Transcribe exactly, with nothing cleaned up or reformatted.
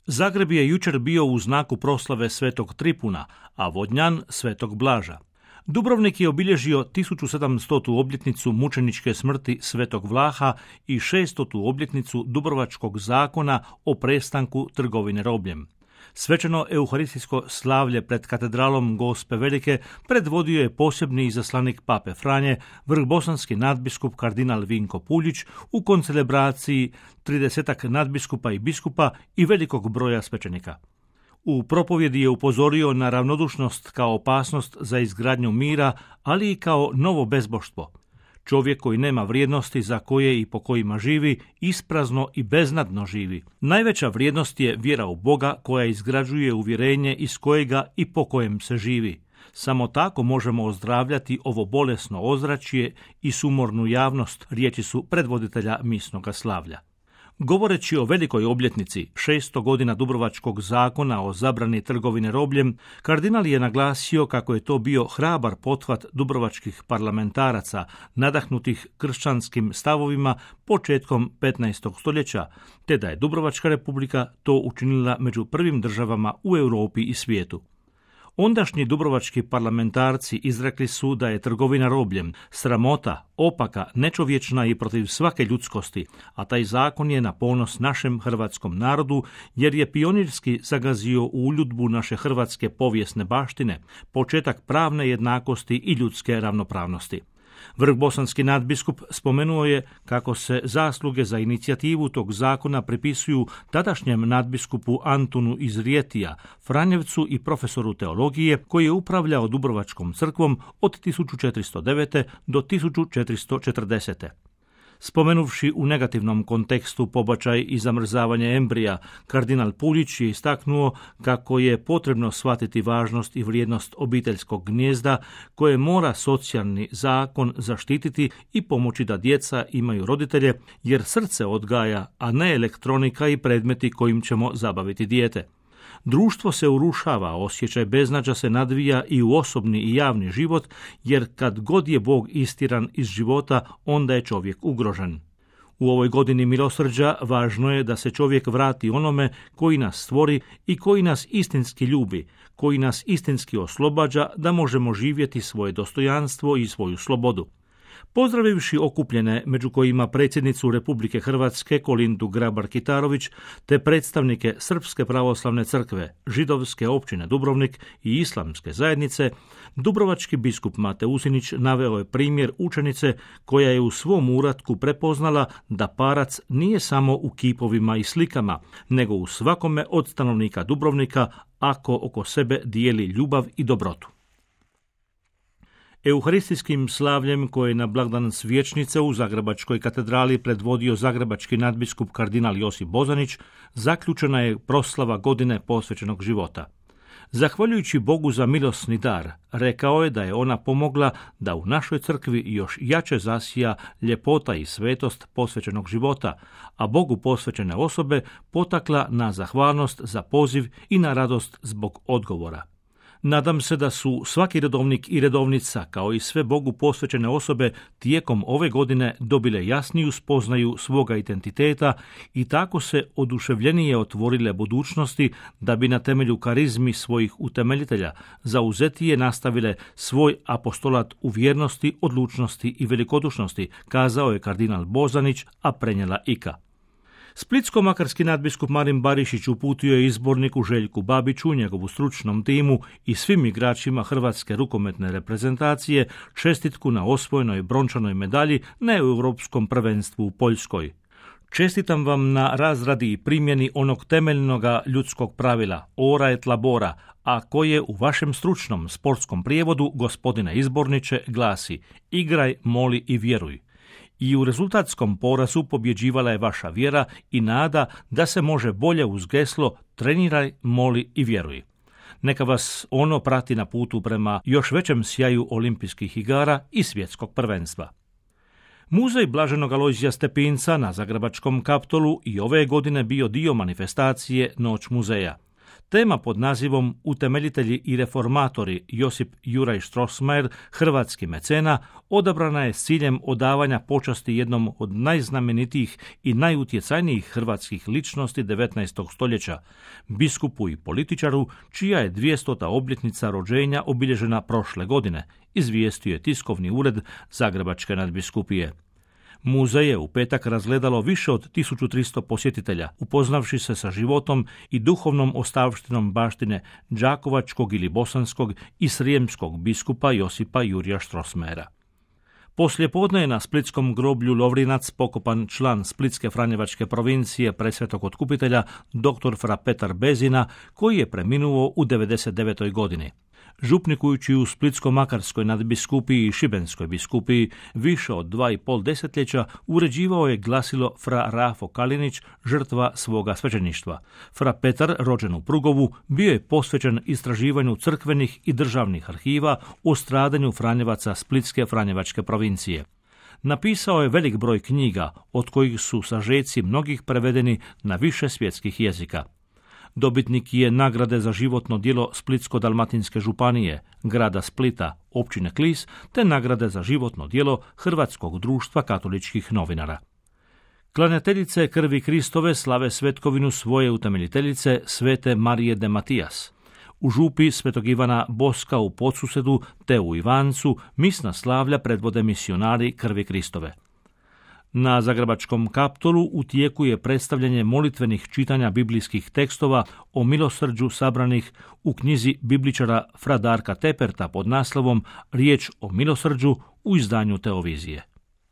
Zagreb je jučer bio u znaku proslave Svetog Tripuna, a Vodnjan Svetog Blaža. Dubrovnik je obilježio tisuću sedamstotu obljetnicu mučeničke smrti Svetog Vlaha i šestotu obljetnicu Dubrovačkog zakona o prestanku trgovine robljem. Svečano euharistijsko slavlje pred katedralom Gospe Velike predvodio je posebni izaslanik Pape Franje, vrhbosanski nadbiskup kardinal Vinko Puljić u koncelebraciji tridesetak nadbiskupa i biskupa i velikog broja svećenika. U propovjedi je upozorio na ravnodušnost kao opasnost za izgradnju mira, ali i kao novo bezboštvo. Čovjek koji nema vrijednosti za koje i po kojima živi, isprazno i beznadno živi. Najveća vrijednost je vjera u Boga koja izgrađuje uvjerenje iz kojega i po kojem se živi. Samo tako možemo ozdravljati ovo bolesno ozračje i sumornu javnost, riječi su predvoditelja misnoga slavlja. Govoreći o velikoj obljetnici, šesto godina Dubrovačkog zakona o zabrani trgovine robljem, kardinal je naglasio kako je to bio hrabar pothvat dubrovačkih parlamentaraca, nadahnutih kršćanskim stavovima početkom petnaestog stoljeća, te da je Dubrovačka republika to učinila među prvim državama u Europi i svijetu. Ondašnji dubrovački parlamentarci izrekli su da je trgovina robljem sramota, opaka, nečovječna i protiv svake ljudskosti, a taj zakon je na ponos našem hrvatskom narodu jer je pionirski zagazio u uljudbu naše hrvatske povijesne baštine, početak pravne jednakosti i ljudske ravnopravnosti. Vrhbosanski nadbiskup spomenuo je kako se zasluge za inicijativu tog zakona pripisuju tadašnjem nadbiskupu Antunu iz Rijetija, Franjevcu i profesoru teologije koji je upravljao Dubrovačkom crkvom od tisuću četiristo devete do tisuću četiristo četrdesete. Spomenuvši u negativnom kontekstu pobačaj i zamrzavanje embrija, kardinal Puljić je istaknuo kako je potrebno shvatiti važnost i vrijednost obiteljskog gnijezda koje mora socijalni zakon zaštititi i pomoći da djeca imaju roditelje, jer srce odgaja, a ne elektronika i predmeti kojim ćemo zabaviti dijete. Društvo se urušava, osjećaj beznađa se nadvija i u osobni i javni život, jer kad god je Bog istiran iz života, onda je čovjek ugrožen. U ovoj godini milosrđa važno je da se čovjek vrati onome koji nas stvori i koji nas istinski ljubi, koji nas istinski oslobađa da možemo živjeti svoje dostojanstvo i svoju slobodu. Pozdravivši okupljene, među kojima predsjednicu Republike Hrvatske Kolindu Grabar-Kitarović, te predstavnike Srpske pravoslavne crkve, Židovske općine Dubrovnik i Islamske zajednice, dubrovački biskup Mate Usinić naveo je primjer učenice koja je u svom uratku prepoznala da parac nije samo u kipovima i slikama, nego u svakome od stanovnika Dubrovnika ako oko sebe dijeli ljubav i dobrotu. Euharistijskim slavljem koje je na blagdan Svječnice u Zagrebačkoj katedrali predvodio zagrebački nadbiskup kardinal Josip Bozanić, zaključena je proslava godine posvećenog života. Zahvaljujući Bogu za milosni dar, rekao je da je ona pomogla da u našoj crkvi još jače zasija ljepota i svetost posvećenog života, a Bogu posvećene osobe potakla na zahvalnost za poziv i na radost zbog odgovora. Nadam se da su svaki redovnik i redovnica, kao i sve Bogu posvećene osobe, tijekom ove godine dobile jasniju spoznaju svoga identiteta i tako se oduševljenije otvorile budućnosti da bi na temelju karizmi svojih utemeljitelja zauzetije nastavile svoj apostolat u vjernosti, odlučnosti i velikodušnosti, kazao je kardinal Bozanić, a prenijela Ika. Splitsko-makarski nadbiskup Marin Barišić uputio je izborniku Željku Babiću, njegovu stručnom timu i svim igračima hrvatske rukometne reprezentacije čestitku na osvojenoj brončanoj medalji na Europskom prvenstvu u Poljskoj. Čestitam vam na razradi i primjeni onog temeljnoga ljudskog pravila, ora et labora, a koje u vašem stručnom sportskom prijevodu, gospodine izborniče, glasi igraj, moli i vjeruj. I u rezultatskom porazu pobjeđivala je vaša vjera i nada da se može bolje uz geslo treniraj, moli i vjeruj. Neka vas ono prati na putu prema još većem sjaju olimpijskih igara i svjetskog prvenstva. Muzej Blaženog Alojzija Stepinca na Zagrebačkom Kaptolu i ove godine bio dio manifestacije Noć muzeja. Tema pod nazivom Utemeljitelji i reformatori Josip Juraj Strossmayer, hrvatski mecena, odabrana je s ciljem odavanja počasti jednom od najznamenitijih i najutjecajnijih hrvatskih ličnosti devetnaestog stoljeća, biskupu i političaru, čija je dvijestota obljetnica rođenja obilježena prošle godine, izvijestio je tiskovni ured Zagrebačke nadbiskupije. Muzej je u petak razgledalo više od tisuću tristo posjetitelja, upoznavši se sa životom i duhovnom ostavštinom baštine đakovačkog ili bosanskog i srijemskog biskupa Josipa Jurija Strossmayera. Poslijepodne je na splitskom groblju Lovrinac pokopan član Splitske franjevačke provincije Presvetog Otkupitelja dr. fra Petar Bezina, koji je preminuo u devedeset devetoj godini. Župnikujući u Splitsko-makarskoj nadbiskupiji i Šibenskoj biskupiji više od dva i pol desetljeća, uređivao je glasilo fra Rafo Kalinić, žrtva svoga svećeništva. Fra Petar, rođen u Prugovu, bio je posvećen istraživanju crkvenih i državnih arhiva o stradanju Franjevaca Splitske franjevačke provincije. Napisao je velik broj knjiga, od kojih su sažeci mnogih prevedeni na više svjetskih jezika. Dobitnik je nagrade za životno djelo Splitsko-dalmatinske županije, grada Splita, općine Klis, te nagrade za životno djelo Hrvatskog društva katoličkih novinara. Klanjateljice krvi Kristove slave svetkovinu svoje utemeljiteljice svete Marije de Matijas. U župi Svetog Ivana Boska u Podsusedu te u Ivancu misna slavlja predvode misionari krvi Kristove. Na Zagrebačkom Kaptolu u tijeku je predstavljanje molitvenih čitanja biblijskih tekstova o milosrđu sabranih u knjizi bibličara fra Darka Teperta pod naslovom Riječ o milosrđu u izdanju Teovizije.